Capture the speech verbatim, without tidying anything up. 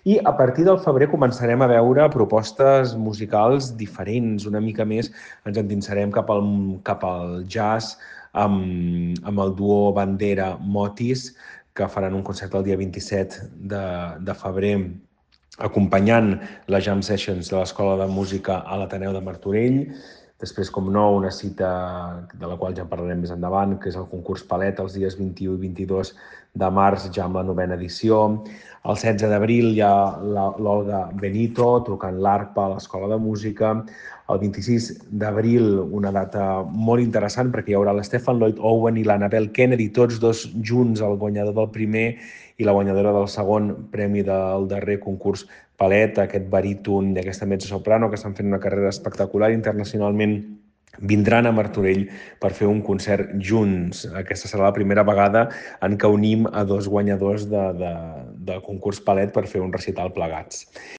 I a partir del febrer començarem a veure propostes musicals diferents, una mica més ens endinsarem cap al, cap al jazz amb, amb el duo Bandera Motis, que faran un concert el dia vint-i-set de, de febrer acompanyant les jam sessions de l'Escola de Música a l'Ateneu de Martorell. Després, com no, una cita de la qual ja parlarem més endavant, que és el concurs Palet, els dies vint-i-u i vint-i-dos de març, ja amb la novena edició. El setze d'abril hi ha l'Olga Benito tocant l'arpa a l'Escola de Música. El vint-i-sis d'abril, una data molt interessant, perquè hi haurà l'Stephen Lloyd Owen i l'Annabel Kennedy, tots dos junts, el guanyador del primer i la guanyadora del segon premi del darrer concurs Palet, aquest baríton i aquesta mezzosoprano que estan fent una carrera espectacular internacionalment, vindran a Martorell per fer un concert junts. Aquesta serà la primera vegada en què unim a dos guanyadors de, de, de concurs Palet per fer un recital plegats.